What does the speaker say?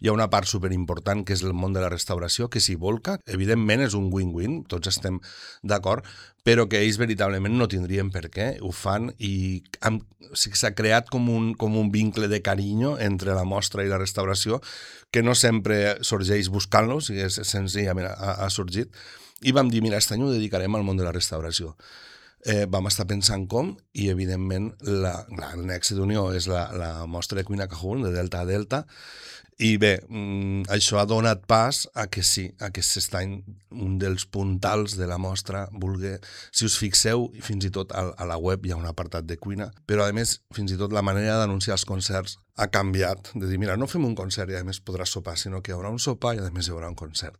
Hi ha una part superimportant que és el món de la restauració, que s'hi volca. Evidentment és un win-win, tots estem d'acord, però que ells veritablement no tindrien per què, ho fan i s'ha creat com un vincle de carinyo entre la mostra i la restauració que no sempre sorgeix buscant-lo, o sigui, senzillament ha sorgit. I vam dir, mira, aquest any ho dedicarem al món de la restauració. Vam estar pensant com i evidentment el nexe d'unió és la mostra de cuina Cajun de Delta a Delta i bé, això ha donat pas a que sí, a que aquest any un dels puntals de la mostra vulgui, si us fixeu, fins i tot a la web hi ha un apartat de cuina, però a més fins i tot la manera d'anunciar els concerts ha canviat, de dir, mira, no fem un concert i a més podràs sopar, sinó que hi haurà un sopar i a més hi haurà un concert.